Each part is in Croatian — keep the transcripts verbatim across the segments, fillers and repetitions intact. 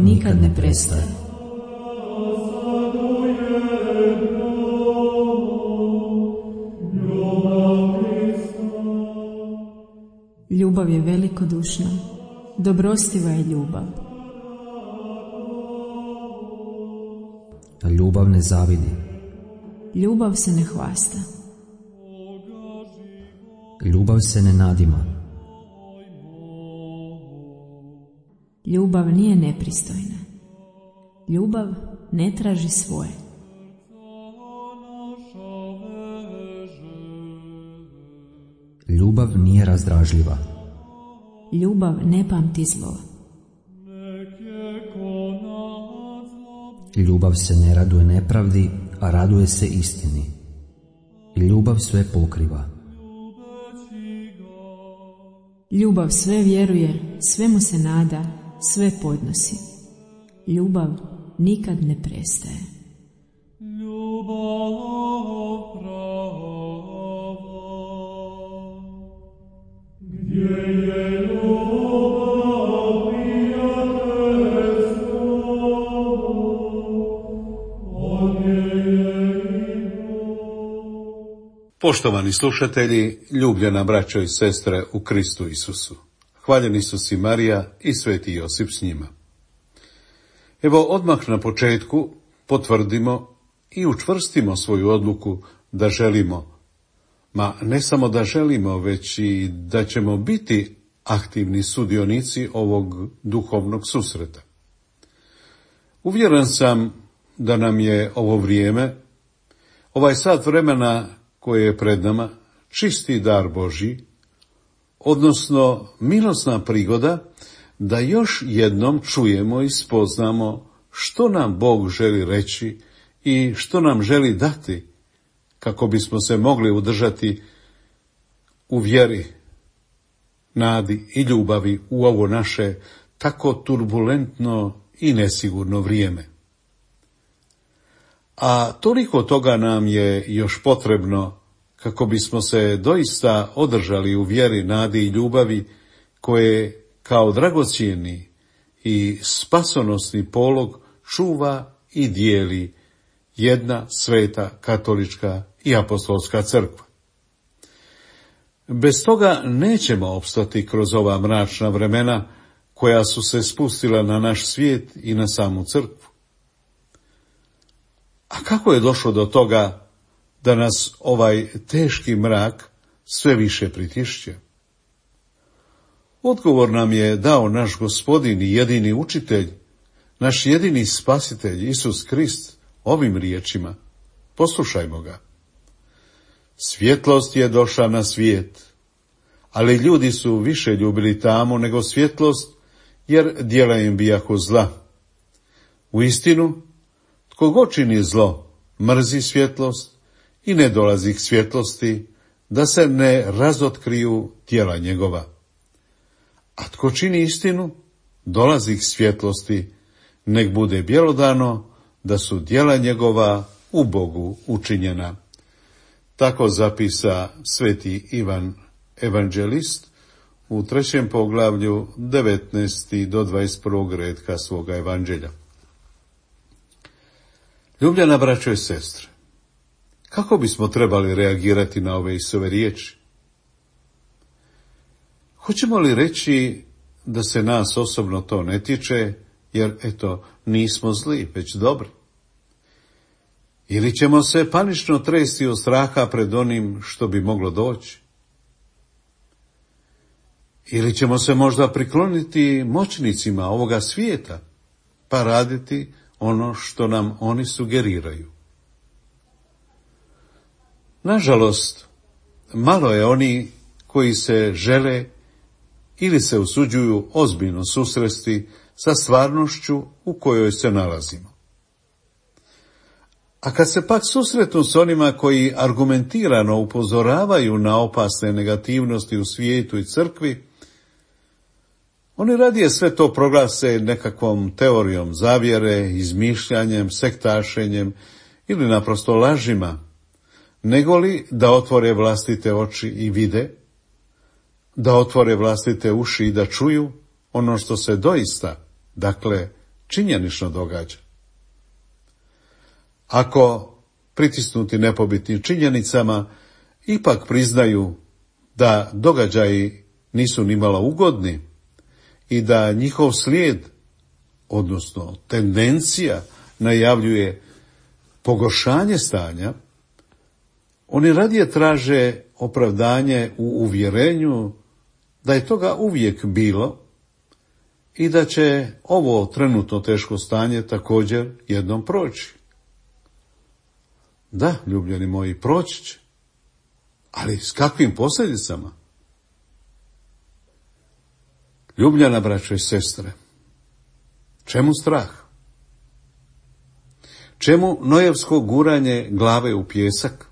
nikad ne prestaje. Ljubav je velikodušna, dobrostiva je ljubav. Ljubav ne zavidi. Ljubav se ne hvasta. Ljubav se ne nadima. Ljubav nije nepristojna. Ljubav ne traži svoje. Ljubav nije razdražljiva. Ljubav ne pamti zlo. Ljubav se ne raduje nepravdi, a raduje se istini. Ljubav sve pokriva. Ljubav sve vjeruje, sve mu se nada, sve podnosi. Ljubav nikad ne prestaje. Poštovani slušatelji, ljubljena braćo i sestre u Kristu Isusu, hvaljen Isus i Marija i sveti Josip s njima. Evo odmah na početku potvrdimo i učvrstimo svoju odluku da želimo, ma ne samo da želimo, već i da ćemo biti aktivni sudionici ovog duhovnog susreta. Uvjeren sam da nam je ovo vrijeme, ovaj sat vremena koje je pred nama, čisti dar Božji, odnosno milosna prigoda da još jednom čujemo i spoznamo što nam Bog želi reći i što nam želi dati, kako bismo se mogli udržati u vjeri, nadi i ljubavi u ovo naše tako turbulentno i nesigurno vrijeme. A toliko toga nam je još potrebno kako bismo se doista održali u vjeri, nadi i ljubavi koje kao dragocjeni i spasonosni polog čuva i dijeli jedna sveta katolička i apostolska crkva. Bez toga nećemo opstati kroz ova mračna vremena koja su se spustila na naš svijet i na samu crkvu. A kako je došlo do toga da nas ovaj teški mrak sve više pritišće? Odgovor nam je dao naš Gospodin i jedini učitelj, naš jedini spasitelj, Isus Krist, ovim riječima. Poslušajmo ga. Svjetlost je došla na svijet, ali ljudi su više ljubili tamu nego svjetlost, jer djela im bijahu zla. Uistinu, tko god čini zlo, mrzi svjetlost i ne dolazi k svjetlosti, da se ne razotkriju djela njegova. A tko čini istinu, dolazi k svjetlosti, nek bude bjelodano, da su djela njegova u Bogu učinjena. Tako zapisa sveti Ivan evanđelist u trećem poglavlju devetnaesti do dvadeset prvog retka svoga evanđelja. Ljubljena braćo i sestre, kako bismo trebali reagirati na ove Isove riječi? Hoćemo li reći da se nas osobno to ne tiče, jer eto, nismo zli, već dobri? Ili ćemo se panično tresti od straha pred onim što bi moglo doći? Ili ćemo se možda prikloniti moćnicima ovoga svijeta, pa raditi ono što nam oni sugeriraju? Nažalost, malo je oni koji se žele ili se usuđuju ozbiljno susresti sa stvarnošću u kojoj se nalazimo. A kad se pak susretnu s onima koji argumentirano upozoravaju na opasne negativnosti u svijetu i crkvi, oni radije sve to proglase nekakvom teorijom zavjere, izmišljanjem, sektašenjem ili naprosto lažima, negoli da otvore vlastite oči i vide, da otvore vlastite uši i da čuju ono što se doista, dakle, činjenično događa. Ako pritisnuti nepobitnim činjenicama ipak priznaju da događaji nisu nimalo ugodni i da njihov slijed, odnosno tendencija, najavljuje pogoršanje stanja, oni radije traže opravdanje u uvjerenju da je toga uvijek bilo i da će ovo trenutno teško stanje također jednom proći. Da, ljubljeni moji, proći će. Ali s kakvim posljedicama? Ljubljena braćo i sestre, čemu strah? Čemu nojevsko guranje glave u pijesak?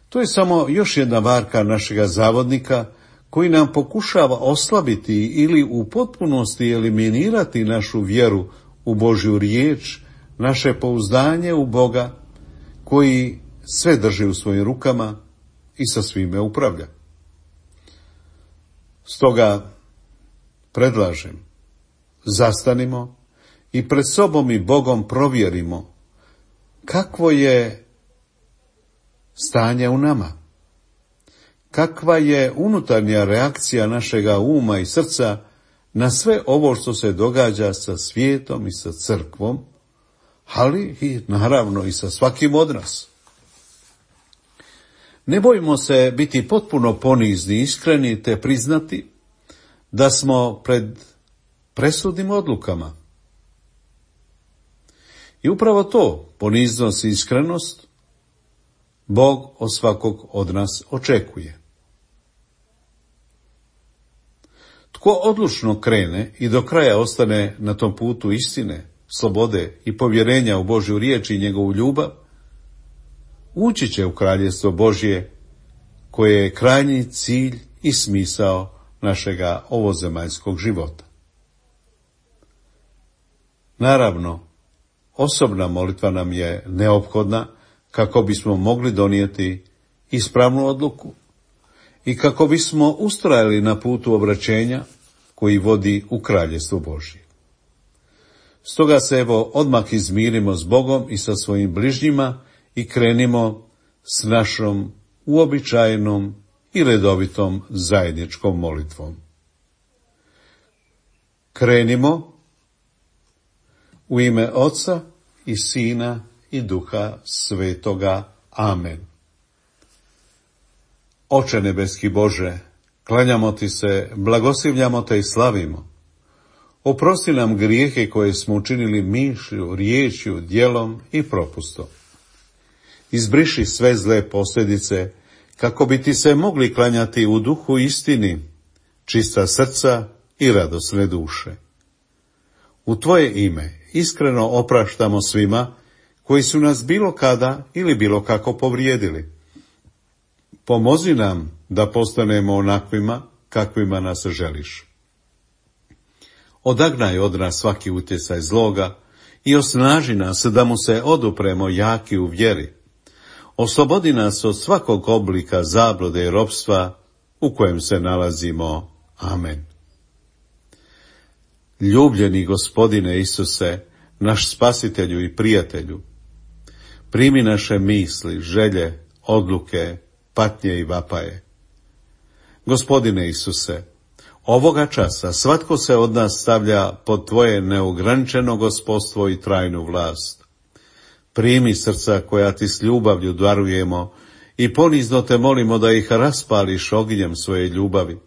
To je samo još jedna varka našega zavodnika koji nam pokušava oslabiti ili u potpunosti eliminirati našu vjeru u Božju riječ, naše pouzdanje u Boga koji sve drži u svojim rukama i sa svime upravlja. Stoga predlažem, zastanimo i pred sobom i Bogom provjerimo kakvo je stanje u nama, kakva je unutarnja reakcija našega uma i srca na sve ovo što se događa sa svijetom i sa crkvom, ali i naravno i sa svakim od nas. Ne bojimo se biti potpuno ponizni i iskreni te priznati da smo pred presudnim odlukama. I upravo to, poniznost i iskrenost, Bog od svakog od nas očekuje. Tko odlučno krene i do kraja ostane na tom putu istine, slobode i povjerenja u Božju riječ i njegovu ljubav, ući će u kraljestvo Božje, koje je krajnji cilj i smisao našega ovozemaljskog života. Naravno, osobna molitva nam je neophodna kako bismo mogli donijeti ispravnu odluku i kako bismo ustrajali na putu obraćenja koji vodi u kraljestvo Božje. Stoga se evo odmah izmirimo s Bogom i sa svojim bližnjima i krenimo s našom uobičajenom i redovitom zajedničkom molitvom. Krenimo u ime Oca i Sina i Duha Svetoga. Amen. Oče nebeski Bože, klanjamo ti se, blagoslivljamo te i slavimo. Oprosti nam grijehe koje smo učinili mišlju, riječju, djelom i propustom. Izbriši sve zle posljedice, kako bi ti se mogli klanjati u duhu istini, čista srca i radosne duše. U tvoje ime iskreno opraštamo svima koji su nas bilo kada ili bilo kako povrijedili. Pomozi nam da postanemo onakvima kakvima nas želiš. Odagnaj od nas svaki utjecaj zloga i osnaži nas da mu se odupremo jaki u vjeri. Oslobodi nas od svakog oblika zablude i ropstva u kojem se nalazimo. Amen. Ljubljeni Gospodine Isuse, naš spasitelju i prijatelju, primi naše misli, želje, odluke, patnje i vapaje. Gospodine Isuse, ovoga časa svatko se od nas stavlja pod tvoje neograničeno gospodstvo i trajnu vlast. Primi srca koja ti s ljubavlju darujemo i ponizno te molimo da ih raspališ ognjem svoje ljubavi.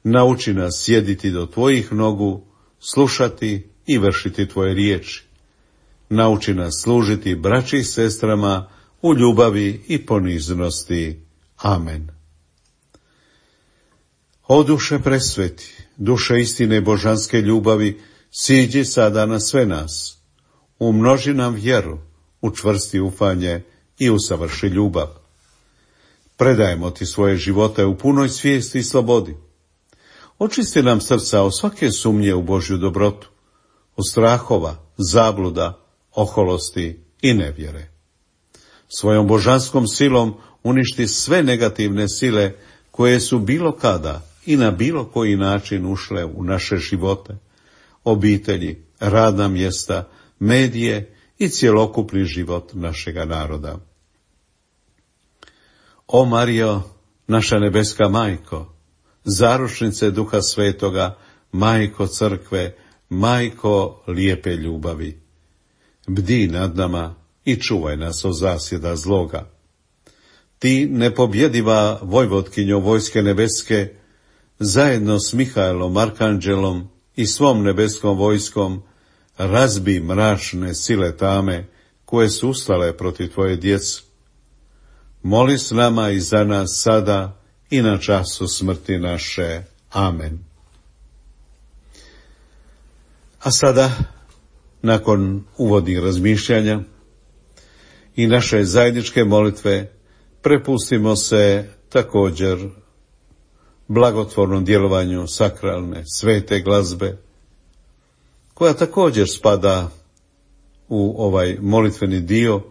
Nauči nas sjediti do tvojih nogu, slušati i vršiti tvoje riječi. Nauči nas služiti braći i sestrama u ljubavi i poniznosti. Amen. O duše presveti, duše istine božanske ljubavi, siđi sada na sve nas. Umnoži nam vjeru, učvrsti ufanje i usavrši ljubav. Predajemo ti svoje živote u punoj svijesti i slobodi. Očisti nam srca od svake sumnje u Božju dobrotu, od strahova, zabluda, oholosti i nevjere. Svojom božanskom silom uništi sve negativne sile koje su bilo kada i na bilo koji način ušle u naše živote, obitelji, radna mjesta, medije i cjelokupni život našega naroda. O Marijo, naša nebeska majko, zaručnice Duha Svetoga, majko crkve, majko lijepe ljubavi, bdi nad nama i čuvaj nas od zasjeda zloga. Ti, nepobjediva vojvotkinjo vojske nebeske, zajedno s Mihaelom, arkanđelom i svom nebeskom vojskom, razbi mračne sile tame koje su ustale protiv tvoje djece. Moli s nama i za nas sada i na času smrti naše. Amen. A sada, nakon uvodnih razmišljanja i naše zajedničke molitve, prepustimo se također blagotvornom djelovanju sakralne svete glazbe, koja također spada u ovaj molitveni dio,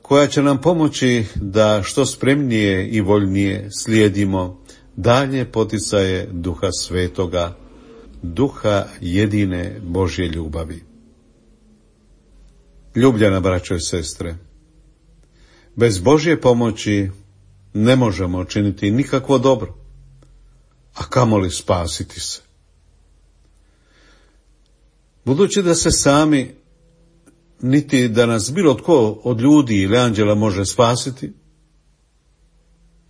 koja će nam pomoći da što spremnije i voljnije slijedimo dalje poticaje Duha Svetoga, Duha jedine Božje ljubavi. Ljubljena braćo i sestre, bez Božje pomoći ne možemo činiti nikakvo dobro, a kamoli spasiti se. Budući da se sami, niti da nas bilo tko od ljudi ili anđela može spasiti,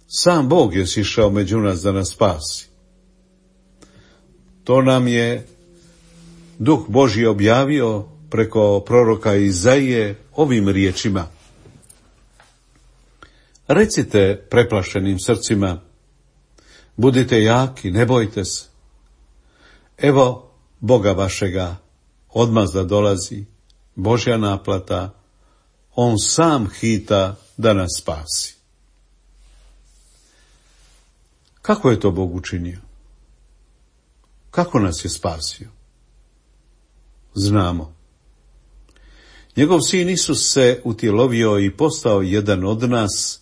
sam Bog je sišao među nas da nas spasi. To nam je Duh Božji objavio preko proroka Izaije ovim riječima. Recite preplašenim srcima, budite jaki, ne bojte se. Evo Boga vašega odmazda dolazi, Božja naplata, on sam hita da nas spasi. Kako je to Bog učinio? Kako nas je spasio? Znamo. Njegov sin Isus se utjelovio i postao jedan od nas,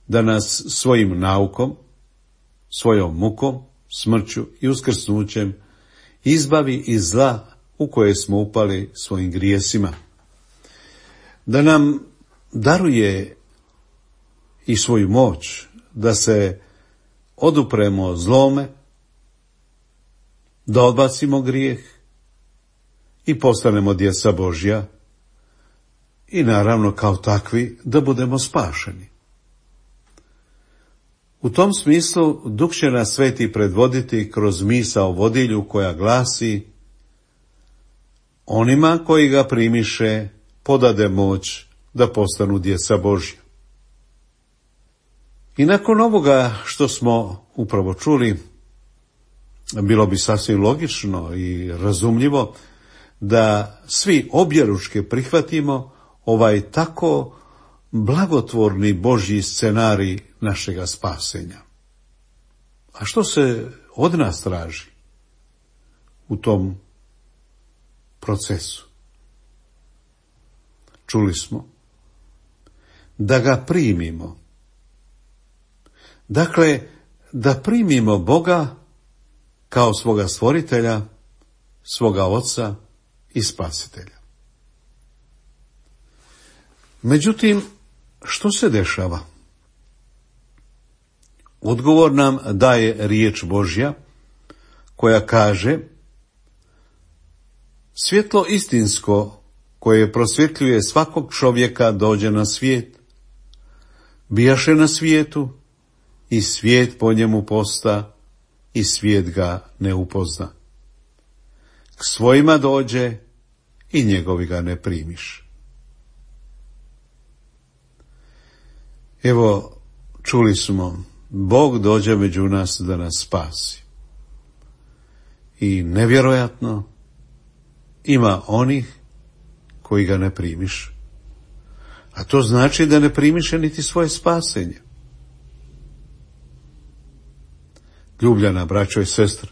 da nas svojim naukom, svojom mukom, smrću i uskrsnućem izbavi iz zla u koje smo upali svojim grijesima. Da nam daruje i svoju moć da se odupremo zlome, da odbacimo grijeh i postanemo djeca Božja i naravno kao takvi da budemo spašeni. U tom smislu Duh će nas sveti predvoditi kroz misao vodilju koja glasi: onima koji ga primiše podade moć da postanu djeca Božja. I nakon ovoga što smo upravo čuli, bilo bi sasvim logično i razumljivo da svi objeručke prihvatimo ovaj tako blagotvorni Božji scenarij našega spasenja. A što se od nas traži u tom procesu? Čuli smo da ga primimo. Dakle, da primimo Boga kao svoga stvoritelja, svoga oca i spasitelja. Međutim, što se dešava? Odgovor nam daje riječ Božja koja kaže: svjetlo istinsko koje prosvjetljuje svakog čovjeka dođe na svijet, bijaše na svijetu i svijet po njemu posta i svijet ga ne upozna. K svojima dođe i njegovi ga ne primiš. Evo, čuli smo, Bog dođe među nas da nas spasi. I nevjerojatno, ima onih koji ga ne primiš. A to znači da ne primiše niti svoje spasenje. Ljubljena braćo i sestre,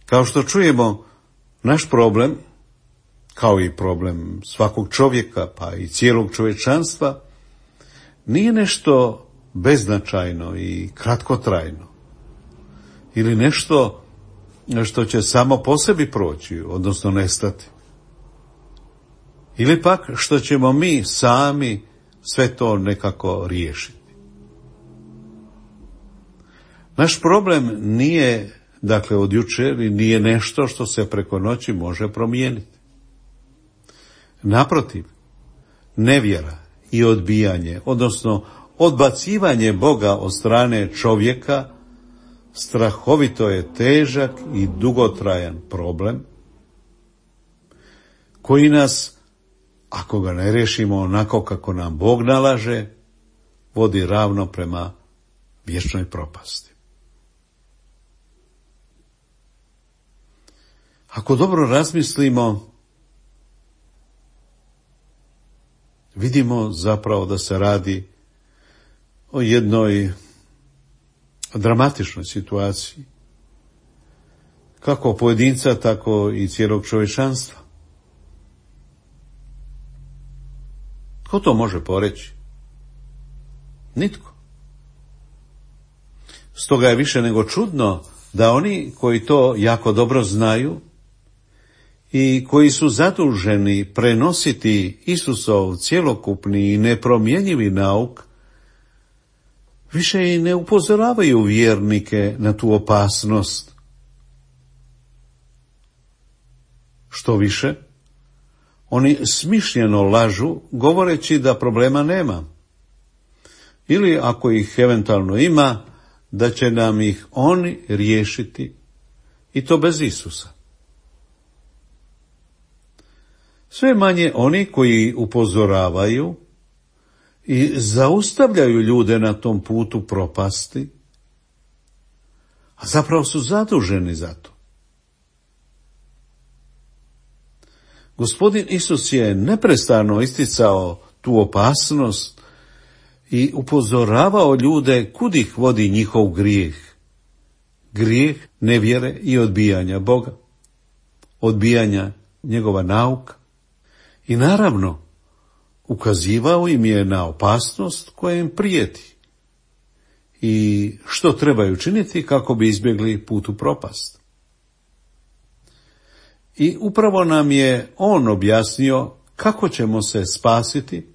kao što čujemo, naš problem, kao i problem svakog čovjeka, pa i cijelog čovječanstva, nije nešto beznačajno i kratkotrajno, ili nešto što će samo po sebi proći, odnosno nestati, ili pak što ćemo mi sami sve to nekako riješiti. Naš problem nije, dakle, od jučer i nije nešto što se preko noći može promijeniti. Naprotiv, nevjera i odbijanje, odnosno odbacivanje Boga od strane čovjeka, strahovito je težak i dugotrajan problem koji nas, ako ga ne riješimo onako kako nam Bog nalaže, vodi ravno prema vječnoj propasti. Ako dobro razmislimo, vidimo zapravo da se radi o jednoj dramatičnoj situaciji, kako pojedinca, tako i cijelog čovječanstva. Tko to može poreći? Nitko. Stoga je više nego čudno da oni koji to jako dobro znaju i koji su zaduženi prenositi Isusov cjelokupni i nepromjenjivi nauk, više i ne upozoravaju vjernike na tu opasnost. Što više, oni smišljeno lažu govoreći da problema nema, ili ako ih eventualno ima, da će nam ih oni riješiti, i to bez Isusa. Sve manje oni koji upozoravaju i zaustavljaju ljude na tom putu propasti, a zapravo su zaduženi za to. Gospodin Isus je neprestano isticao tu opasnost i upozoravao ljude kud ih vodi njihov grijeh. Grijeh nevjere i odbijanja Boga, odbijanja njegova nauka. I naravno, ukazivao im je na opasnost koja im prijeti i što trebaju činiti kako bi izbjegli put u propast. I upravo nam je on objasnio kako ćemo se spasiti,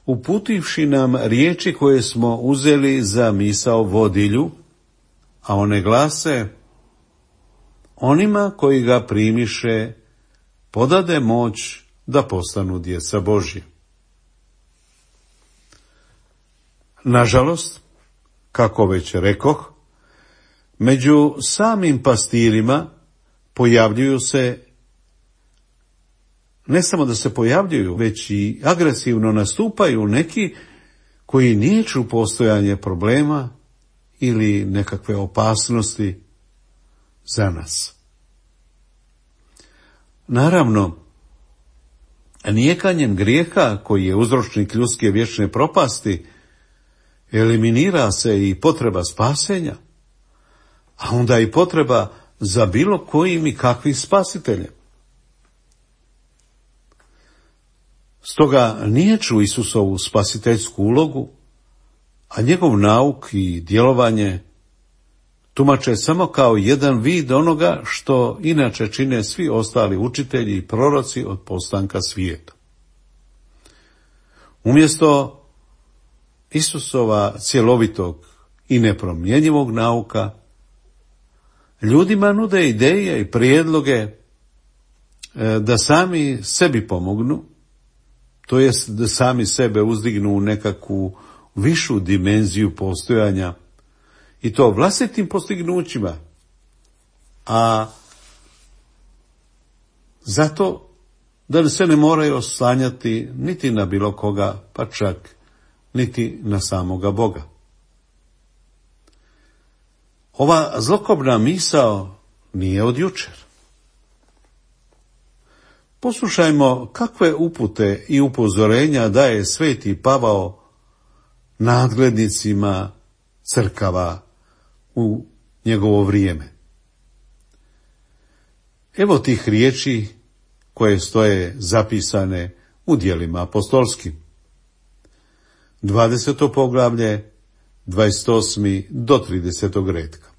uputivši nam riječi koje smo uzeli za misao vodilju, a one glase: onima koji ga primiše podade moć da postanu djeca Božja. Nažalost, kako već rekoh, među samim pastirima pojavljuju se, ne samo da se pojavljuju, već i agresivno nastupaju neki koji niječu postojanje problema ili nekakve opasnosti za nas. Naravno, nijekanjem grijeha koji je uzročnik ljudske vječne propasti eliminira se i potreba spasenja, a onda i potreba za bilo kojim i kakvim spasiteljem. Stoga niječu Isusovu spasiteljsku ulogu, a njegov nauk i djelovanje tumače samo kao jedan vid onoga što inače čine svi ostali učitelji i proroci od postanka svijeta. Umjesto Isusova cjelovitog i nepromjenjivog nauka, ljudima nude ideje i prijedloge da sami sebi pomognu, to jest da sami sebe uzdignu u nekakvu višu dimenziju postojanja, i to vlastitim postignućima, a zato da se ne moraju oslanjati niti na bilo koga, pa čak niti na samoga Boga. Ova zlokobna misao nije od jučer. Poslušajmo kakve upute i upozorenja daje sveti Pavao nadglednicima crkava u njegovo vrijeme. Evo tih riječi koje stoje zapisane u djelima apostolskim. dvadeseto poglavlje, dvadeset osmi do tridesetog redka.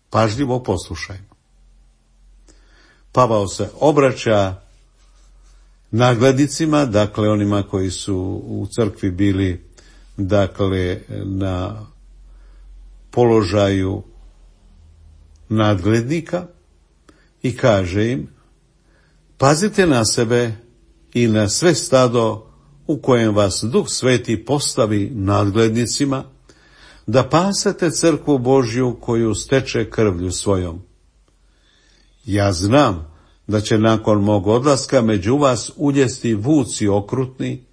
Pažljivo poslušajmo. Pavao se obraća nadglednicima, dakle onima koji su u crkvi bili, dakle, na položaju nadglednika, i kaže im: pazite na sebe i na sve stado u kojem vas Duh Sveti postavi nadglednicima, da pasete crkvu Božju koju steče krvlju svojom. Ja znam da će nakon mog odlaska među vas uljesti vuci okrutni,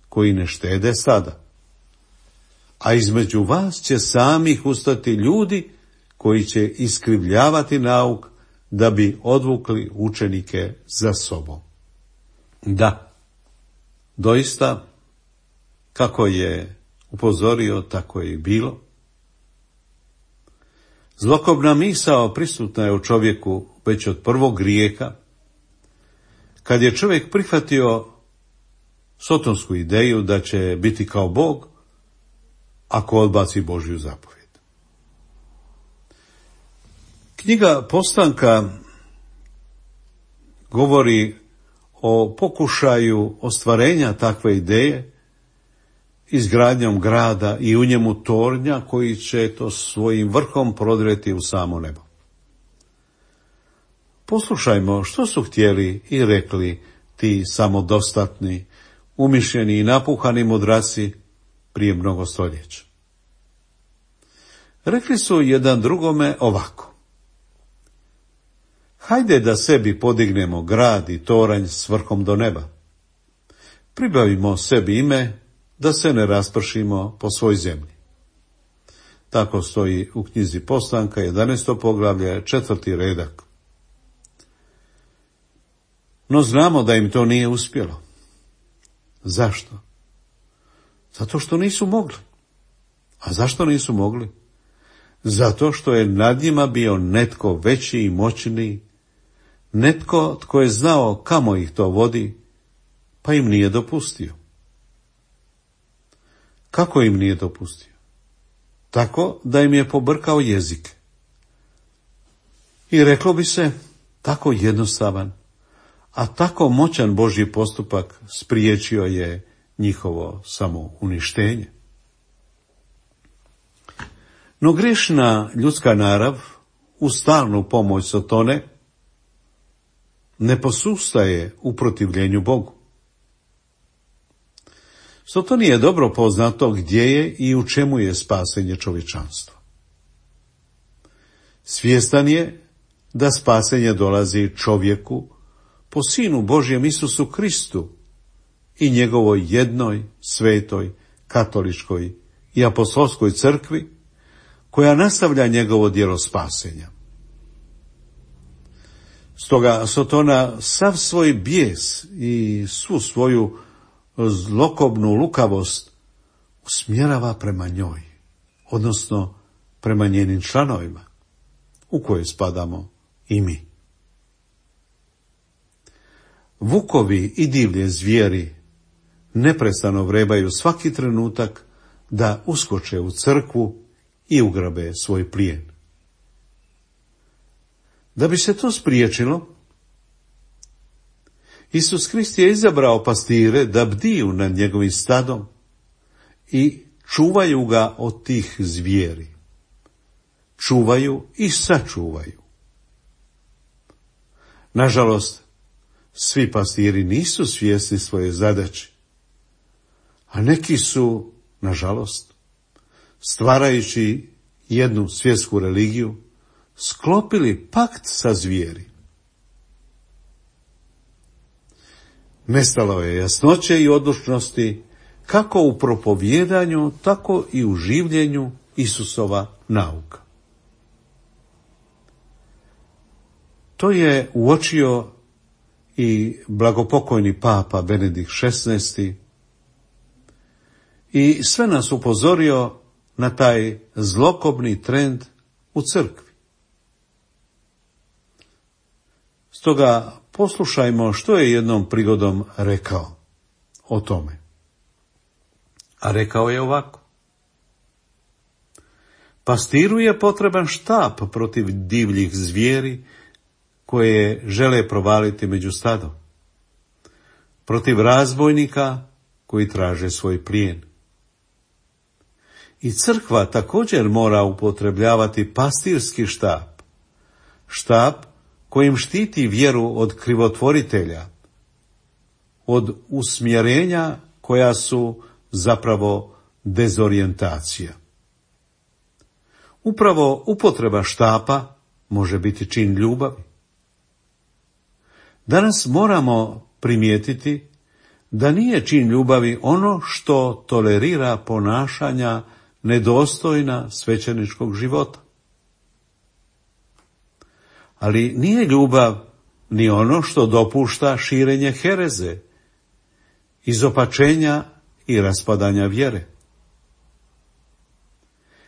koji ne štede stada. A između vas će samih ustati ljudi koji će iskrivljavati nauk, da bi odvukli učenike za sobom. Da, doista, kako je upozorio, tako je i bilo. Zlokobna misao prisutna je u čovjeku već od prvog grijeha, kad je čovjek prihvatio sotonsku ideju da će biti kao Bog ako odbaci Božju zapovjed. Knjiga Postanka govori o pokušaju ostvarenja takve ideje izgradnjom grada i u njemu tornja koji će to svojim vrhom prodreti u samo nebo. Poslušajmo što su htjeli i rekli ti samodostatni, umišljeni i napuhani mudraci prije mnogo stoljeća. Rekli su jedan drugome ovako: hajde da sebi podignemo grad i toranj s vrhom do neba. Pribavimo sebi ime da se ne raspršimo po svoj zemlji. Tako stoji u knjizi Postanka, jedanaesto poglavlje, četvrti redak. No znamo da im to nije uspjelo. Zašto? Zato što nisu mogli. A zašto nisu mogli? Zato što je nad njima bio netko veći i moćniji, netko tko je znao kamo ih to vodi, pa im nije dopustio. Kako im nije dopustio? Tako da im je pobrkao jezik. I reklo bi se, tako jednostavan, a tako moćan Božji postupak spriječio je njihovo samouništenje. No grešna ljudska narav, uz stalnu pomoć Sotone, ne posustaje u protivljenju Bogu. Sotoni je dobro poznato gdje je i u čemu je spasenje čovječanstva. Svjestan je da spasenje dolazi čovjeku po Sinu Božjem Isusu Kristu i njegovoj jednoj, svetoj, katoličkoj i apostolskoj crkvi, koja nastavlja njegovo djelo spasenja. Stoga Sotona sav svoj bijes i svu svoju zlokobnu lukavost usmjerava prema njoj, odnosno prema njenim članovima, u koje spadamo i mi. Vukovi i divlje zvijeri neprestano vrebaju svaki trenutak da uskoče u crkvu i ugrabe svoj plijen. Da bi se to spriječilo, Isus Krist je izabrao pastire da bdiju nad njegovim stadom i čuvaju ga od tih zvijeri. Čuvaju i sačuvaju. Nažalost, svi pastiri nisu svjesni svoje zadaće, a neki su, nažalost, stvarajući jednu svjetsku religiju, sklopili pakt sa zvijeri. Nestalo je jasnoće i odlučnosti kako u propovjedanju, tako i u življenju Isusova nauka. To je uočio i blagopokojni papa Benedikt šesnaesti i sve nas upozorio na taj zlokobni trend u crkvi. Stoga poslušajmo što je jednom prigodom rekao o tome. A rekao je ovako: Pastiru je potreban štap protiv divljih zvijeri koje žele provaliti među stadom, protiv razbojnika koji traže svoj plijen. I crkva također mora upotrebljavati pastirski štap, štap kojim štiti vjeru od krivotvoritelja, od usmjerenja koja su zapravo dezorijentacija. Upravo upotreba štapa može biti čin ljubavi. Danas moramo primijetiti da nije čin ljubavi ono što tolerira ponašanja nedostojna svećeničkog života. Ali nije ljubav ni ono što dopušta širenje hereze, izopačenja i raspadanja vjere.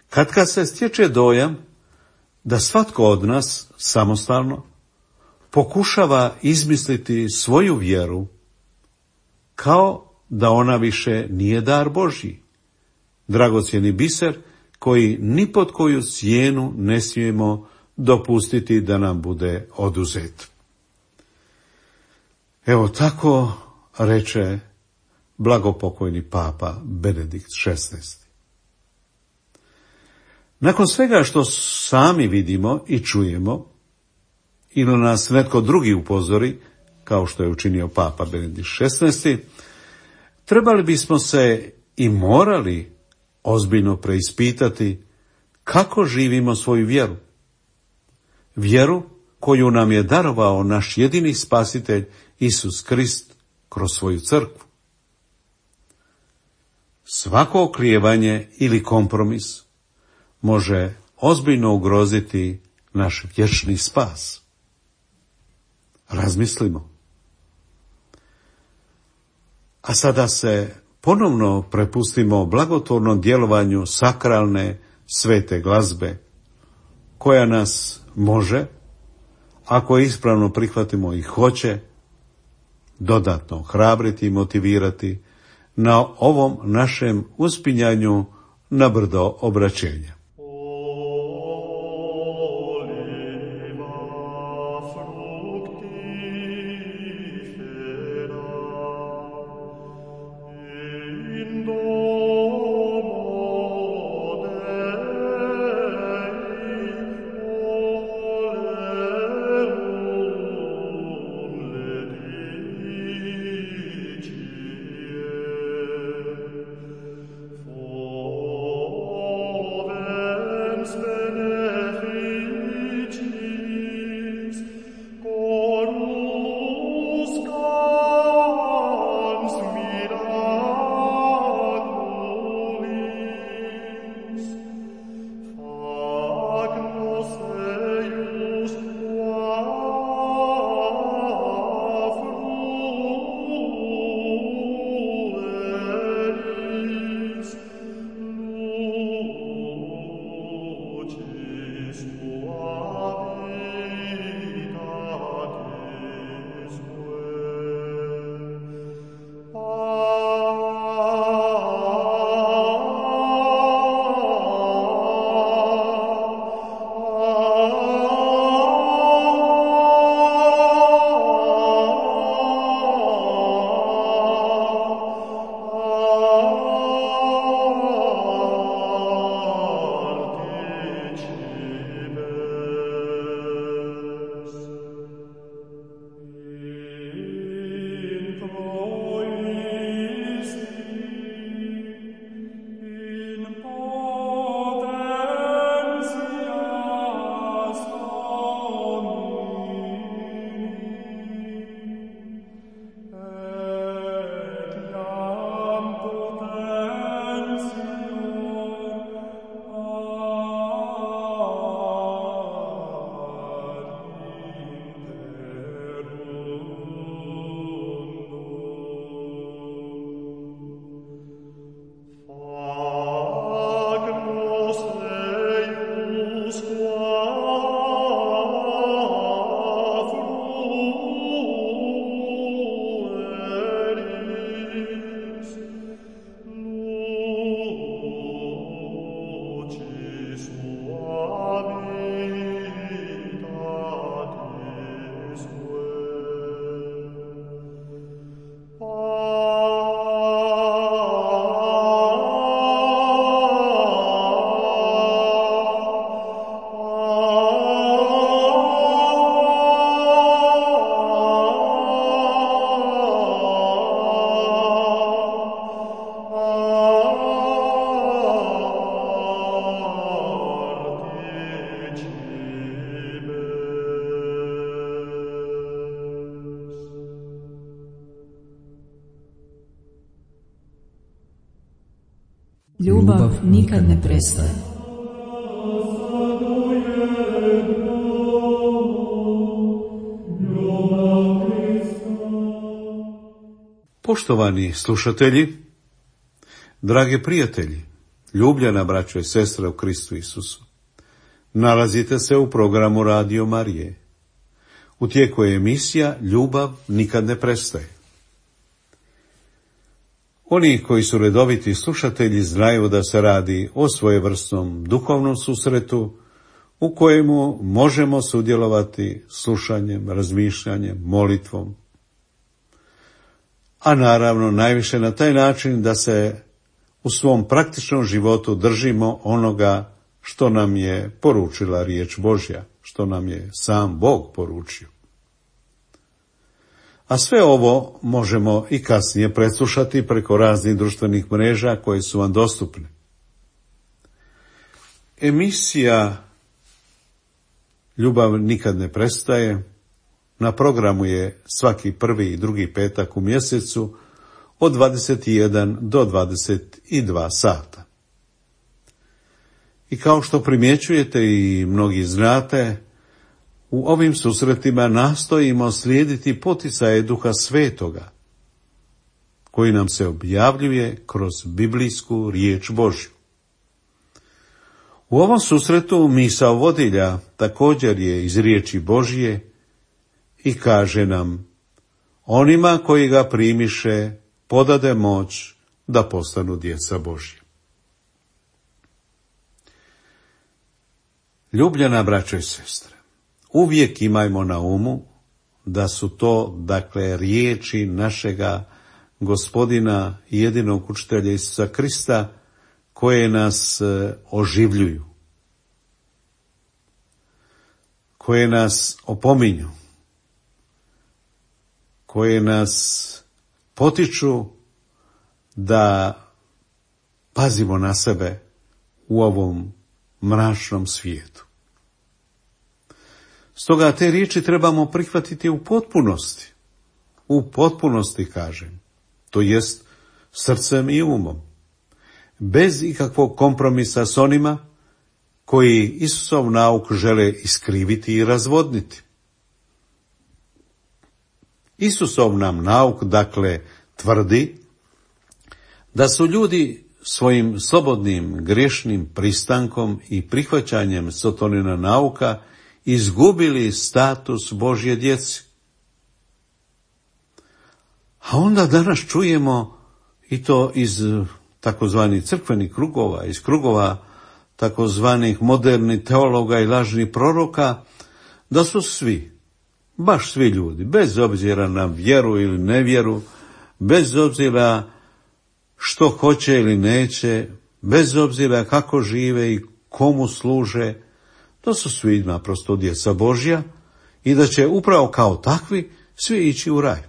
Katkad se stječe dojam da svatko od nas samostalno pokušava izmisliti svoju vjeru, kao da ona više nije dar Božji, dragocjeni biser koji ni pod koju cijenu ne smijemo dopustiti da nam bude oduzet. Evo tako reče blagopokojni papa Benedikt šesnaesti. Nakon svega što sami vidimo i čujemo, ili nas netko drugi upozori, kao što je učinio papa Benedikt šesnaesti, trebali bismo se i morali ozbiljno preispitati kako živimo svoju vjeru. Vjeru koju nam je darovao naš jedini spasitelj Isus Krist kroz svoju crkvu. Svako oklijevanje ili kompromis može ozbiljno ugroziti naš vječni spas. Razmislimo. A sada se ponovno prepustimo blagotvornom djelovanju sakralne svete glazbe, koja nas može, ako ispravno prihvatimo i hoće, dodatno hrabriti i motivirati na ovom našem uspinjanju na brdo obraćenja. For Ljubav nikad ne prestaje. Poštovani slušatelji, dragi prijatelji, ljubljena braćo i sestre u Kristu Isusu, nalazite se u programu Radio Marije. U tijeku je emisija Ljubav nikad ne prestaje. Oni koji su redoviti slušatelji znaju da se radi o svojevrsnom duhovnom susretu u kojemu možemo sudjelovati slušanjem, razmišljanjem, molitvom, a naravno najviše na taj način da se u svom praktičnom životu držimo onoga što nam je poručila riječ Božja, što nam je sam Bog poručio. A sve ovo možemo i kasnije preslušati preko raznih društvenih mreža koje su vam dostupne. Emisija Ljubav nikad ne prestaje na programu je svaki prvi i drugi petak u mjesecu od dvadeset jedan do dvadeset dva sata. I kao što primjećujete i mnogi znate, u ovim susretima nastojimo slijediti poticaje Duha Svetoga, koji nam se objavljuje kroz biblijsku riječ Božju. U ovom susretu misao vodilja također je iz riječi Božje i kaže nam: onima koji ga primiše podade moć da postanu djeca Božja. Ljubljena braćo i sestre, uvijek imajmo na umu da su to, dakle, riječi našega Gospodina i jedinog učitelja Isusa Krista koje nas oživljuju, koje nas opominju, koje nas potiču da pazimo na sebe u ovom mračnom svijetu. Stoga te riječi trebamo prihvatiti u potpunosti, u potpunosti kažem, to jest srcem i umom, bez ikakvog kompromisa s onima koji Isusov nauk žele iskriviti i razvodniti. Isusov nam nauk, dakle, tvrdi da su ljudi svojim slobodnim grešnim pristankom i prihvaćanjem sotonina nauka izgubili status Božje djeci. A onda danas čujemo i to iz takozvanih crkvenih krugova, iz krugova takozvanih modernih teologa i lažnih proroka, da su svi, baš svi ljudi, bez obzira na vjeru ili nevjeru, bez obzira što hoće ili neće, bez obzira kako žive i komu služe, to su svi naprosto djeca Božja i da će upravo kao takvi svi ići u raj.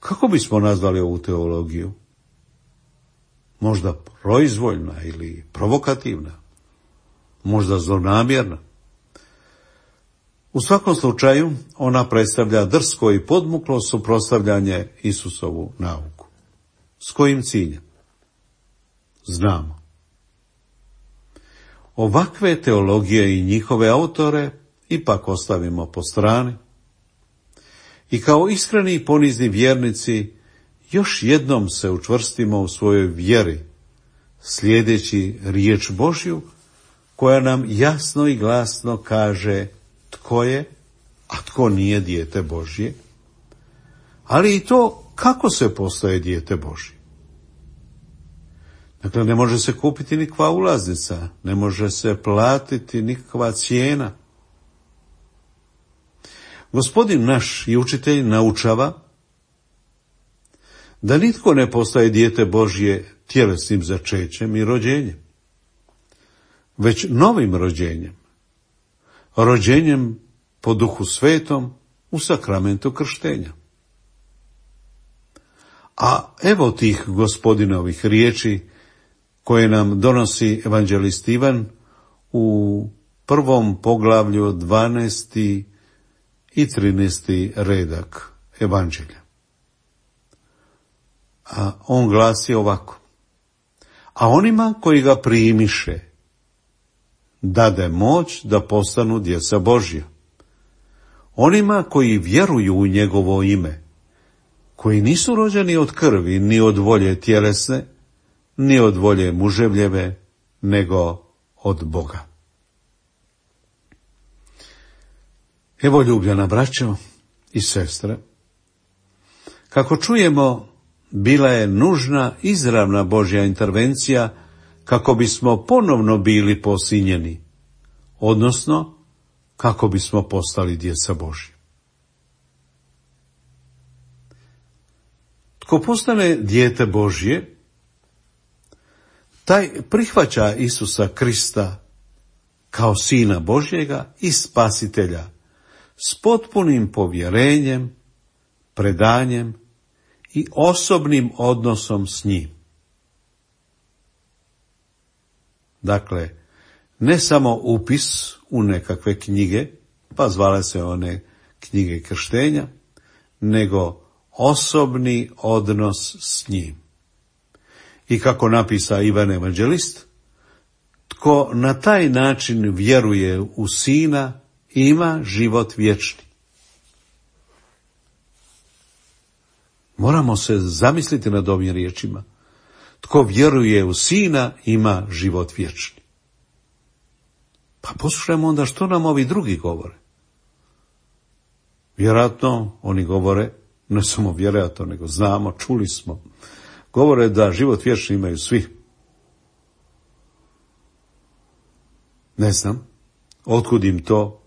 Kako bismo nazvali ovu teologiju? Možda proizvoljna ili provokativna, možda zlonamjerna. U svakom slučaju ona predstavlja drsko i podmuklo suprotstavljanje Isusovu nauku. S kojim ciljem? Znamo. Ovakve teologije i njihove autore ipak ostavimo po strani i kao iskreni i ponizni vjernici još jednom se učvrstimo u svojoj vjeri, slijedeći riječ Božju koja nam jasno i glasno kaže tko je, a tko nije dijete Božje, ali i to kako se postaje dijete Božje. Dakle, ne može se kupiti nikakva ulaznica, ne može se platiti nikakva cijena. Gospodin naš i učitelj naučava da nitko ne postaje dijete Božje tjelesnim začećem i rođenjem, već novim rođenjem, rođenjem po Duhu Svetom u sakramentu krštenja. A evo tih Gospodinovih riječi koje nam donosi evanđelist Ivan u prvom poglavlju dvanaesti i trinaesti redak evanđelja. A on glasi ovako: a onima koji ga primiše dade moć da postanu djeca Božja. Onima koji vjeruju u njegovo ime, koji nisu rođeni od krvi, ni od volje tjelesne, ni od volje muževljeve, nego od Boga. Evo, ljubljena braćo i sestre, kako čujemo, bila je nužna izravna Božja intervencija kako bismo ponovno bili posinjeni, odnosno kako bismo postali djeca Božja. Tko postane dijete Božje, taj prihvaća Isusa Krista kao Sina Božjega i Spasitelja s potpunim povjerenjem, predanjem i osobnim odnosom s njim. Dakle, ne samo upis u nekakve knjige, pa zvale se one knjige krštenja, nego osobni odnos s njim. I kako napisa Ivan Evanđelist, tko na taj način vjeruje u Sina, ima život vječni. Moramo se zamisliti nad ovim riječima. Tko vjeruje u Sina, ima život vječni. Pa poslušajmo onda što nam ovi drugi govore. Vjerojatno oni govore, ne samo vjerojatno, nego znamo, čuli smo, govore da život vječni imaju svi. Ne znam otkud im to,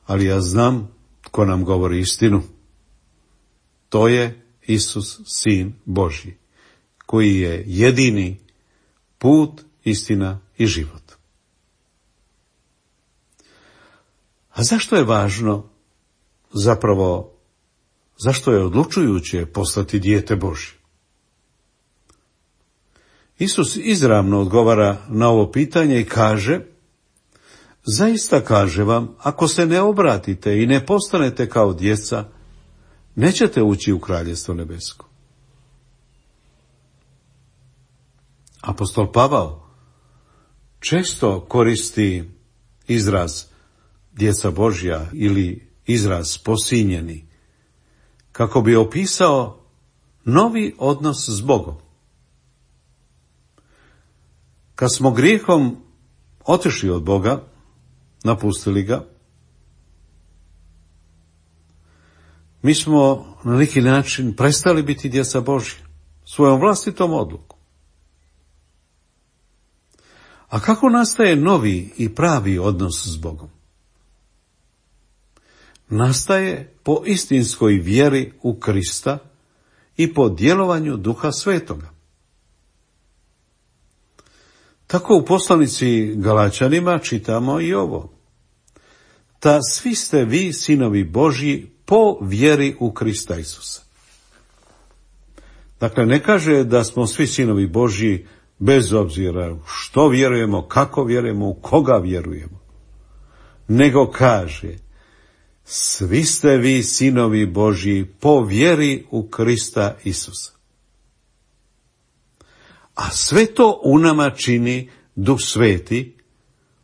ali ja znam tko nam govori istinu. To je Isus, Sin Božji, koji je jedini put, istina i život. A zašto je važno, zapravo, zašto je odlučujuće postati dijete Božje? Isus izravno odgovara na ovo pitanje i kaže: zaista kaže vam, ako se ne obratite i ne postanete kao djeca, nećete ući u Kraljevstvo nebesko. Apostol Pavao često koristi izraz djeca Božja ili izraz posinjeni, kako bi opisao novi odnos s Bogom. Kad smo grijehom otišli od Boga, napustili ga, mi smo na neki način prestali biti djeca Božja, svojom vlastitom odlukom. A kako nastaje novi i pravi odnos s Bogom? Nastaje po istinskoj vjeri u Krista i po djelovanju Duha Svetoga. Tako u poslanici Galačanima čitamo i ovo: ta svi ste vi sinovi Božji po vjeri u Krista Isusa. Dakle, ne kaže da smo svi sinovi Božji bez obzira što vjerujemo, kako vjerujemo, u koga vjerujemo, nego kaže: svi ste vi sinovi Božji po vjeri u Krista Isusa. A sve to u nama čini Duh Sveti,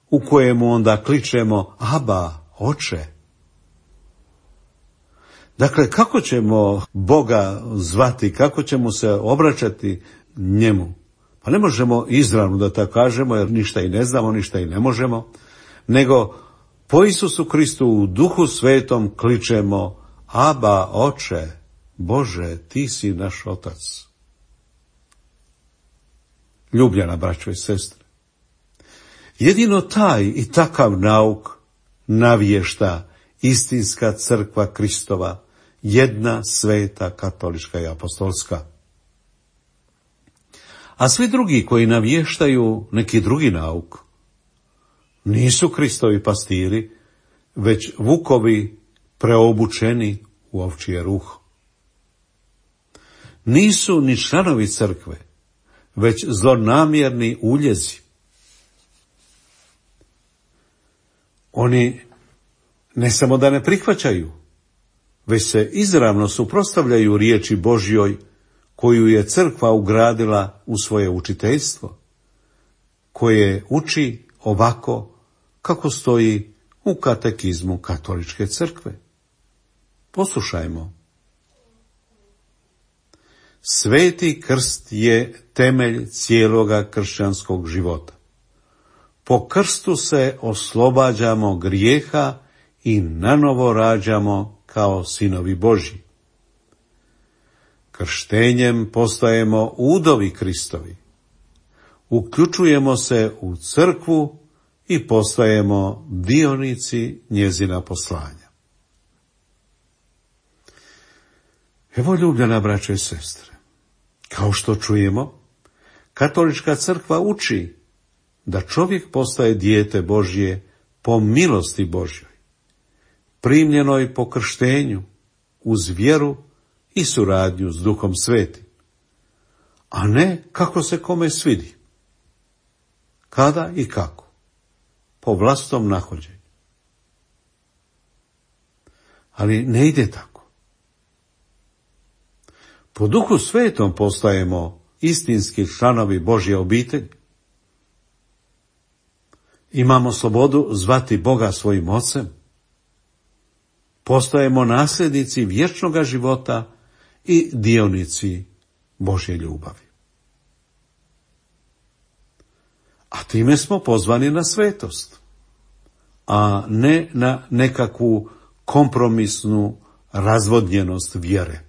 u kojemu onda kličemo: Aba, Oče. Dakle, kako ćemo Boga zvati, kako ćemo se obraćati njemu? Pa ne možemo izravno da tako kažemo, jer ništa i ne znamo, ništa i ne možemo, nego po Isusu Kristu u Duhu Svetom kličemo: Aba, Oče, Bože, ti si naš Otac. Ljubljena braćo i sestre, jedino taj i takav nauk navješta istinska crkva Kristova, jedna sveta katolička i apostolska. A svi drugi koji navještaju neki drugi nauk nisu Kristovi pastiri, već vukovi preobučeni u ovčije ruho. Nisu ni članovi crkve, već zlonamjerni uljezi. Oni ne samo da ne prihvaćaju, već se izravno suprotstavljaju riječi Božjoj koju je crkva ugradila u svoje učiteljstvo, koje uči ovako kako stoji u katekizmu Katoličke crkve. Poslušajmo. Sveti krst je temelj cijeloga kršćanskog života. Po krstu se oslobađamo grijeha i nanovo rađamo kao sinovi Božji. Krštenjem postajemo udovi Kristovi. Uključujemo se u crkvu i postajemo dionici njezina poslanja. Evo, ljubljena braćo i sestre, kao što čujemo, Katolička crkva uči da čovjek postaje dijete Božje po milosti Božjoj, primljenoj po krštenju, uz vjeru i suradnju s Duhom Svetim, a ne kako se kome svidi, kada i kako, po vlastitom nahođenju. Ali ne ide tako. Po Duhu Svetom postajemo istinski članovi Božje obitelji. Imamo slobodu zvati Boga svojim ocem. Postajemo nasljednici vječnoga života i dionici Božje ljubavi. A time smo pozvani na svetost, a ne na nekakvu kompromisnu razvodnjenost vjere.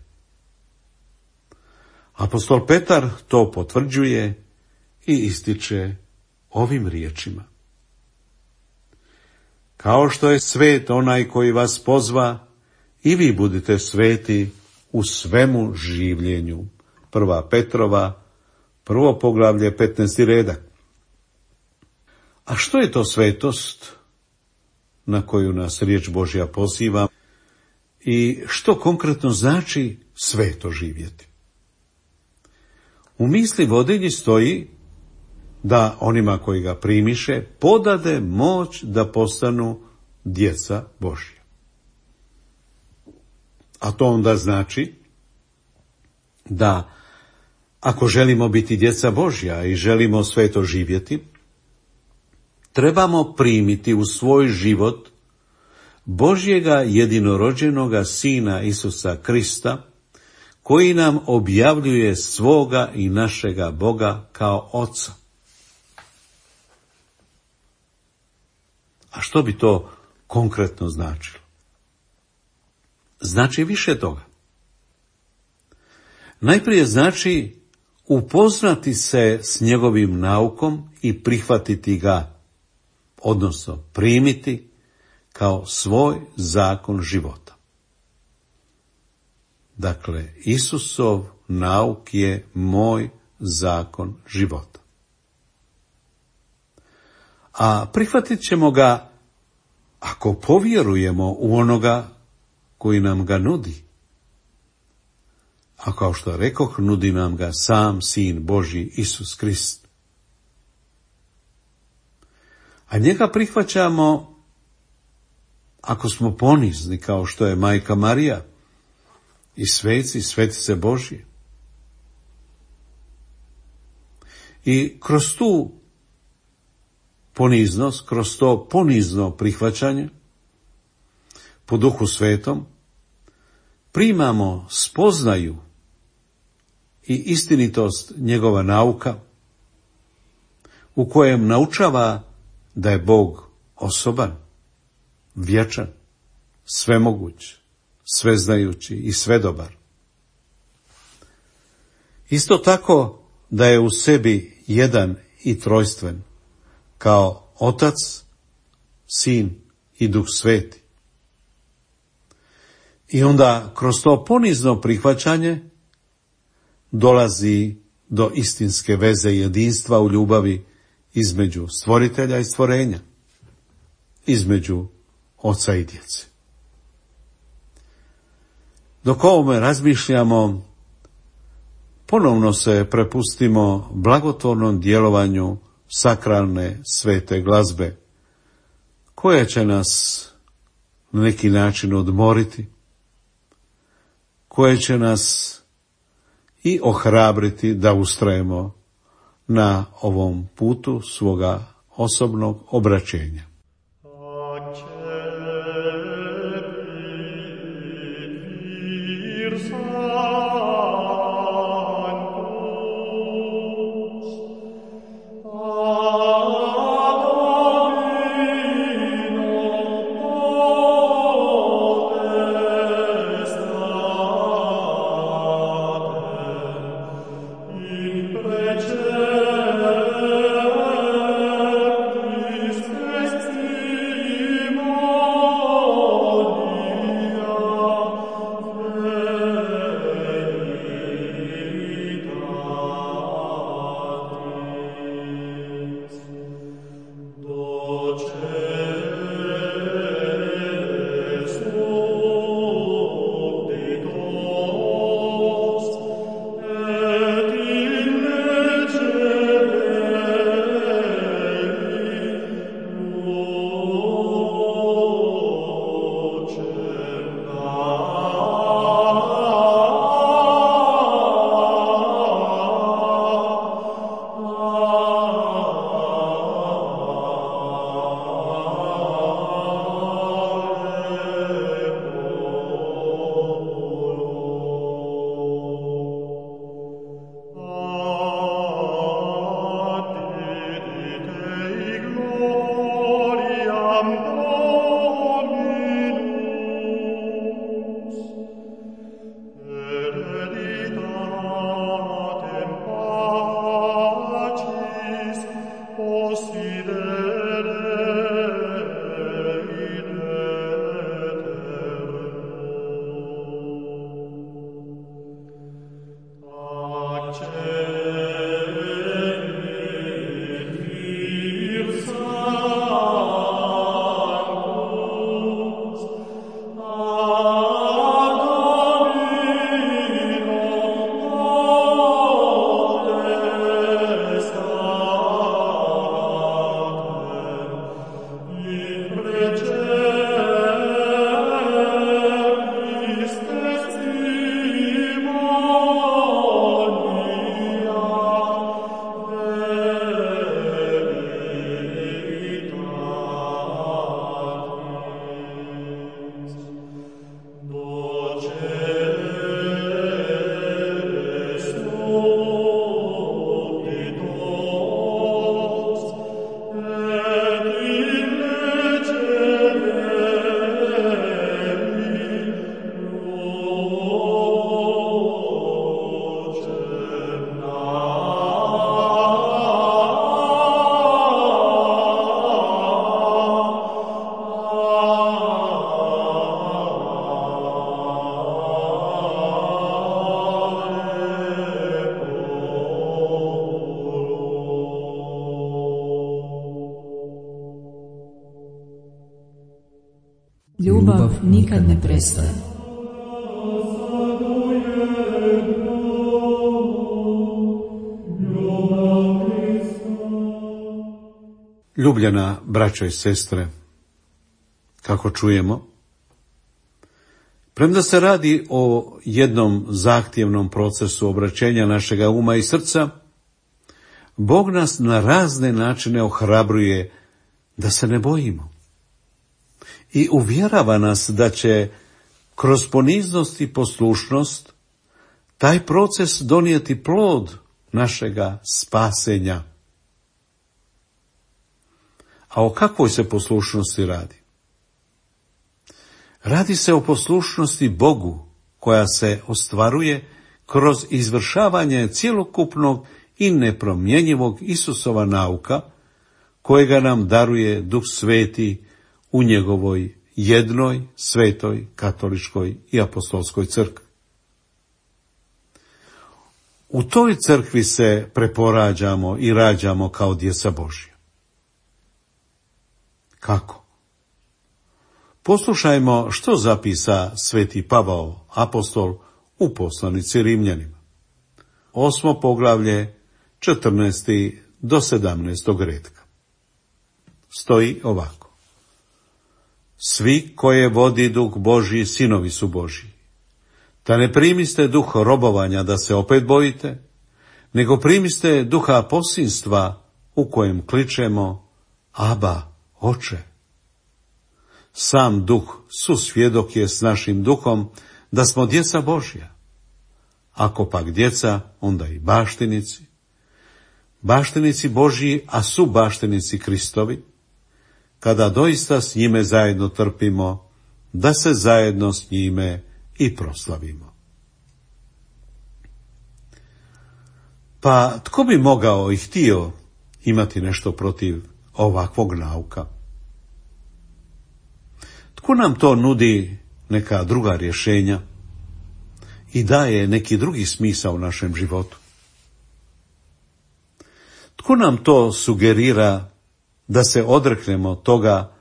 Apostol Petar to potvrđuje i ističe ovim riječima. Kao što je svet onaj koji vas pozva, i vi budite sveti u svemu življenju. Prva Petrova, prvo poglavlje, petnaesti redak. A što je to svetost na koju nas riječ Božja poziva i što konkretno znači sveto živjeti? U misli vodilji stoji da onima koji ga primiše podade moć da postanu djeca Božja. A to onda znači da ako želimo biti djeca Božja i želimo sveto živjeti, trebamo primiti u svoj život Božjega jedinorođenoga Sina Isusa Krista, koji nam objavljuje svoga i našega Boga kao Oca. A što bi to konkretno značilo? Znači više toga. Najprije znači upoznati se s njegovim naukom i prihvatiti ga, odnosno primiti kao svoj zakon života. Dakle, Isusov nauk je moj zakon života. A prihvatit ćemo ga ako povjerujemo u onoga koji nam ga nudi. A kao što rekoh, nudi nam ga sam Sin Božji Isus Krist. A njega prihvaćamo ako smo ponizni kao što je Majka Marija i sveci, svetice Božje. I kroz tu poniznost, kroz to ponizno prihvaćanje po Duhu Svetom primamo spoznaju i istinitost njegova nauka, u kojem naučava da je Bog osoban, vječan, svemoguć, sveznajući i svedobar. Isto tako da je u sebi jedan i trojstven, kao Otac, Sin i Duh Sveti. I onda kroz to ponizno prihvaćanje dolazi do istinske veze i jedinstva u ljubavi između stvoritelja i stvorenja, između oca i djece. Dok ovome razmišljamo, ponovno se prepustimo blagotvornom djelovanju sakralne svete glazbe, koja će nas na neki način odmoriti, koje će nas i ohrabriti da ustrajemo na ovom putu svoga osobnog obraćenja. Ljubav nikad ne prestaje. Ljubljena braćo i sestre, kako čujemo, premda se radi o jednom zahtjevnom procesu obraćenja našega uma i srca, Bog nas na razne načine ohrabruje da se ne bojimo i uvjerava nas da će kroz poniznost i poslušnost taj proces donijeti plod našega spasenja. A o kakvoj se poslušnosti radi? Radi se o poslušnosti Bogu koja se ostvaruje kroz izvršavanje cjelokupnog i nepromjenjivog Isusova nauka kojega nam daruje Duh Sveti u njegovoj jednoj, svetoj, katoličkoj i apostolskoj crkvi. U toj crkvi se preporađamo i rađamo kao djeca Božja. Kako? Poslušajmo što zapisa sveti Pavao, apostol, u poslanici Rimljanima. Osmo poglavlje, četrnaesti do sedamnaestog redka. Stoji ovako. Svi koje vodi Duh Božji, sinovi su Božji. Da ne primiste duh robovanja da se opet bojite, nego primiste duha posinstva u kojem kličemo Aba, Oče. Sam duh susvjedok je s našim duhom da smo djeca Božja. Ako pak djeca, onda i baštinici. Baštinici Božji, a su baštinici Kristovi, kada doista s njime zajedno trpimo, da se zajedno s njime i proslavimo. Pa tko bi mogao i htio imati nešto protiv ovakvog nauka? Tko nam to nudi neka druga rješenja i daje neki drugi smisao u našem životu? Tko nam to sugerira da se odreknemo toga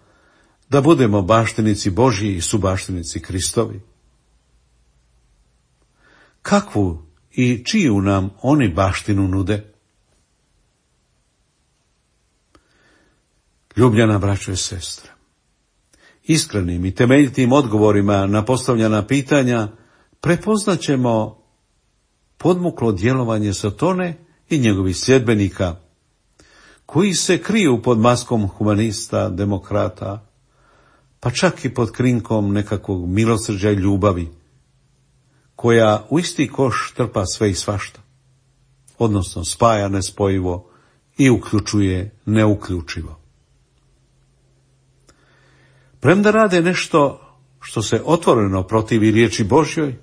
da budemo baštinici Božji i subaštinici Kristovi? Kakvu i čiju nam oni baštinu nude? Ljubljena braćo i sestre, iskrenim i temeljitim odgovorima na postavljena pitanja prepoznaćemo podmuklo djelovanje Satone i njegovih sljedbenika, koji se kriju pod maskom humanista, demokrata, pa čak i pod krinkom nekakvog milosrđa i ljubavi, koja u isti koš trpa sve i svašta, odnosno spaja nespojivo i uključuje neuključivo. Premda rade nešto što se otvoreno protivi riječi Božjoj,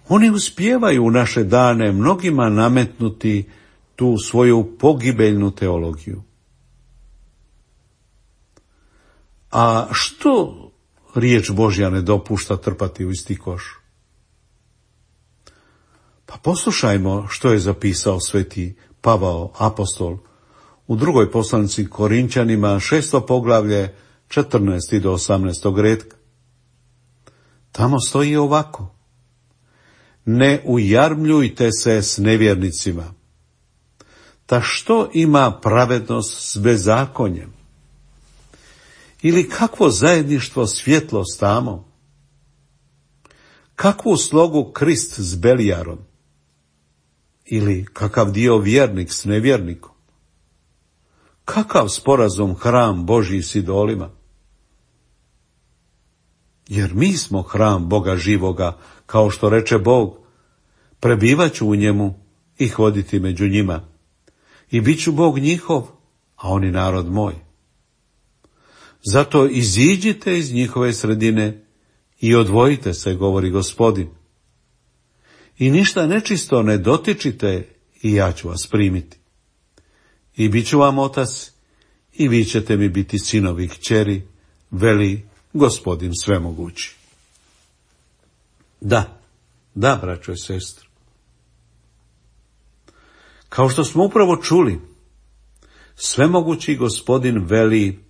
oni uspijevaju u naše dane mnogima nametnuti tu svoju pogibeljnu teologiju. A što riječ Božja ne dopušta trpati u isti koš? Pa poslušajmo što je zapisao sveti Pavao apostol u drugoj poslanici Korinčanima, šesto poglavlje, četrnaesti do osamnaestog retka. Tamo stoji ovako: ne ujarmljujte se s nevjernicima. Ta što ima pravednost s bezakonjem? Ili kakvo zajedništvo svjetlo s tamom? Kakvu slogu Krist s Belijarom? Ili kakav dio vjernik s nevjernikom? Kakav sporazum hram Božji s idolima? Jer mi smo hram Boga živoga, kao što reče Bog, prebivaću u njemu i hoditi među njima. I bit ću Bog njihov, a oni narod moj. Zato iziđite iz njihove sredine i odvojite se, govori Gospodin. I ništa nečisto ne dotičite i ja ću vas primiti. I bit ću vam otac i vi ćete mi biti sinovi i kćeri, veli Gospodin svemogući. Da, da, braćo i sestre. Kao što smo upravo čuli, svemogući Gospodin veli: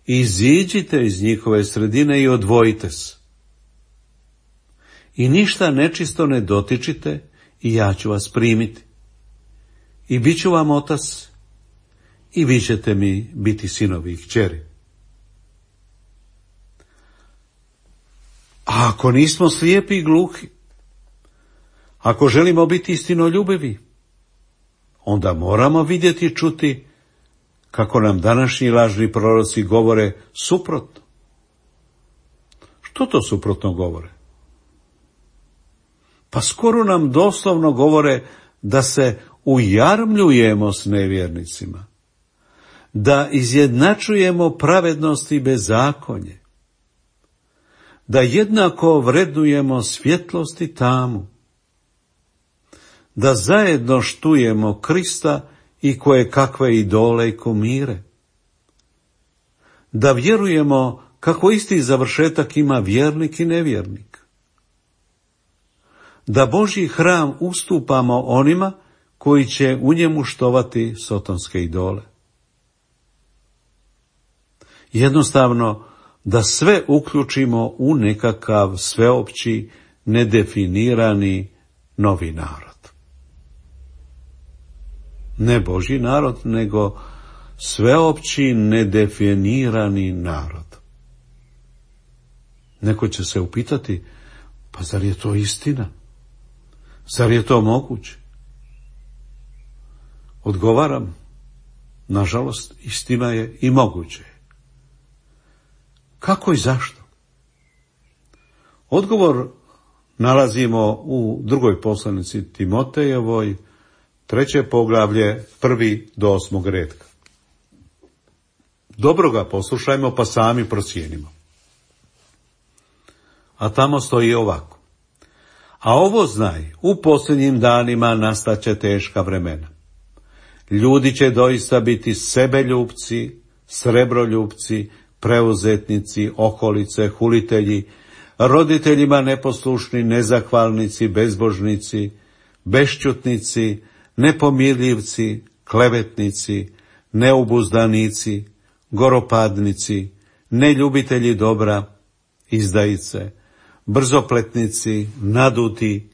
iziđite iz njihove sredine i odvojite se. I ništa nečisto ne dotičite i ja ću vas primiti. I bit ću vam otac i vi ćete mi biti sinovi i kćeri. A ako nismo slijepi i gluhi, ako želimo biti istinoljubivi, onda moramo vidjeti i čuti kako nam današnji lažni proroci govore suprotno. Što to suprotno govore? Pa skoro nam doslovno govore da se ujarmljujemo s nevjernicima, da izjednačujemo pravednost i bezakonje, da jednako vrednujemo svjetlost i tamu, da zajedno štujemo Krista i koje kakve idole i kumire, da vjerujemo kako isti završetak ima vjernik i nevjernik, da Božji hram ustupamo onima koji će u njemu štovati sotonske idole. Jednostavno, da sve uključimo u nekakav sveopći, nedefinirani novi narod. Ne Božji narod, nego sveopći, nedefinirani narod. Neko će se upitati: pa zar je to istina? Zar je to moguće? Odgovaram, nažalost, istina je i moguće. Kako i zašto? Odgovor nalazimo u drugoj poslanici Timotejevoj, treće poglavlje, prvi do osmog retka. Dobro ga poslušajmo pa sami procijenimo. A tamo stoji ovako. A ovo znaj, u posljednjim danima nastaće teška vremena. Ljudi će doista biti sebeljupci, srebroljupci, preuzetnici, okolice, hulitelji, roditeljima neposlušni, nezahvalnici, bezbožnici, bešćutnici, nepomirljivci, klevetnici, neubuzdanici, goropadnici, neljubitelji dobra, izdajice, brzopletnici, naduti,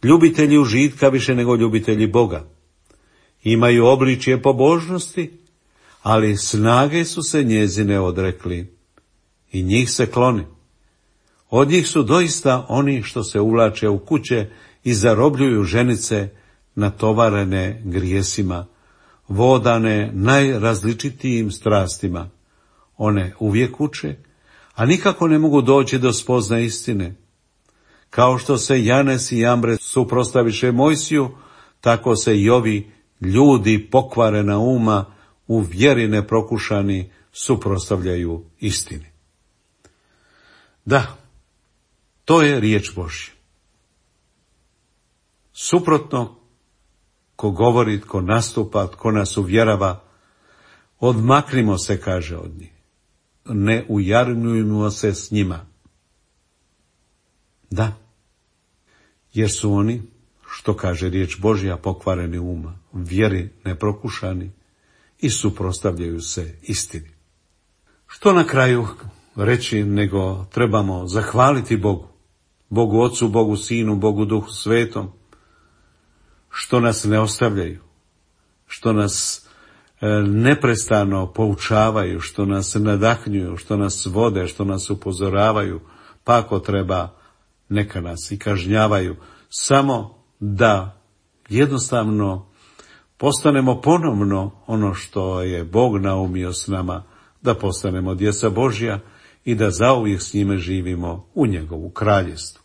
ljubitelji užitka više nego ljubitelji Boga. Imaju obličje pobožnosti, ali snage su se njezine odrekli i njih se kloni. Od njih su doista oni što se uvlače u kuće i zarobljuju ženice natovarene grijesima, vodane najrazličitijim strastima. One uvijek uče, a nikako ne mogu doći do spoznaje istine. Kao što se Janes i Jambre suprotstaviše Mojsiju, tako se i ovi ljudi pokvarena uma u vjeri neprokušani suprotstavljaju istini. Da, to je riječ Božja. Suprotno, ko govori, ko nastupa, ko nas uvjerava, odmaknimo se, kaže od njih. Ne ujarnujmo se s njima. Da, jer su oni, što kaže riječ Božja, pokvareni uma, vjeri neprokušani i suprotstavljaju se istini. Što na kraju reći nego trebamo zahvaliti Bogu, Bogu Ocu, Bogu Sinu, Bogu Duhu Svetom, što nas ne ostavljaju, što nas neprestano poučavaju, što nas nadahnjuju, što nas vode, što nas upozoravaju, pa ako treba neka nas i kažnjavaju, samo da jednostavno postanemo ponovno ono što je Bog naumio s nama, da postanemo djeca Božja i da zauvijek s njime živimo u njegovu kraljevstvu.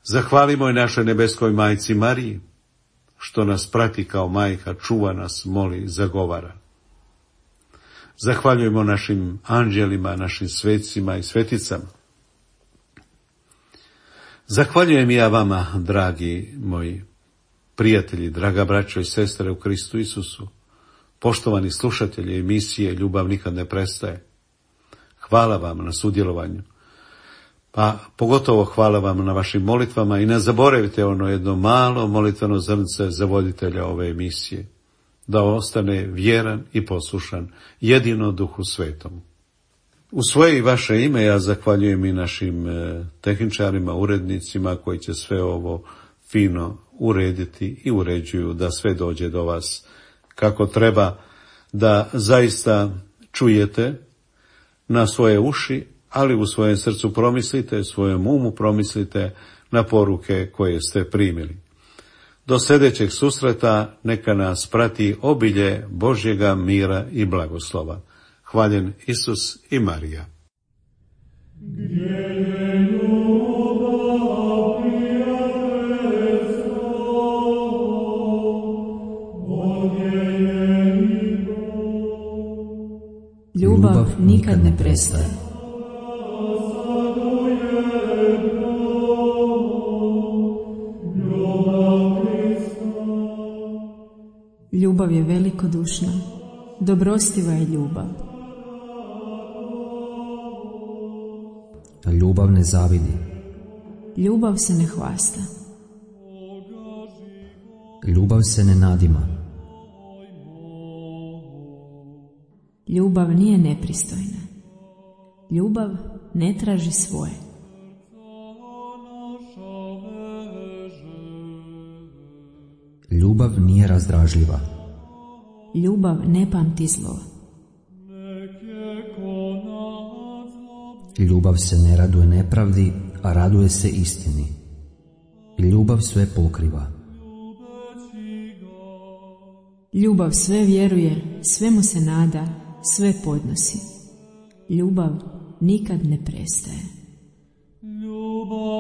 Zahvalimo i našoj nebeskoj majci Mariji, što nas prati kao majka, čuva nas, moli, zagovara. Zahvaljujemo našim anđelima, našim svecima i sveticama. Zahvaljujem ja vama, dragi moji prijatelji, draga braćo i sestre u Kristu Isusu, poštovani slušatelji emisije Ljubav nikad ne prestaje. Hvala vam na sudjelovanju. Pa pogotovo hvala vam na vašim molitvama i ne zaboravite ono jedno malo molitveno zrnce za voditelja ove emisije, da ostane vjeran i poslušan jedino Duhu Svetom. U svoje i vaše ime ja zahvaljujem i našim tehničarima, urednicima koji će sve ovo fino urediti i uređuju da sve dođe do vas kako treba, da zaista čujete na svoje uši, ali u svojem srcu promislite, svojem umu promislite na poruke koje ste primili. Do sljedećeg susreta neka nas prati obilje Božjega mira i blagoslova. Hvaljen Isus i Marija. Ljubav nikad ne prestaje. Ljubav je velikodušna, dobrostiva je ljubav. Ljubav ne zavidi. Ljubav se ne hvasta. Ljubav se ne nadima. Ljubav nije nepristojna. Ljubav ne traži svoje. Ljubav nije razdražljiva. Ljubav ne pamti zlo. Ljubav se ne raduje nepravdi, a raduje se istini. Ljubav sve pokriva. Ljubav sve vjeruje, svemu se nada, sve podnosi. Ljubav nikad ne prestaje. Ljubav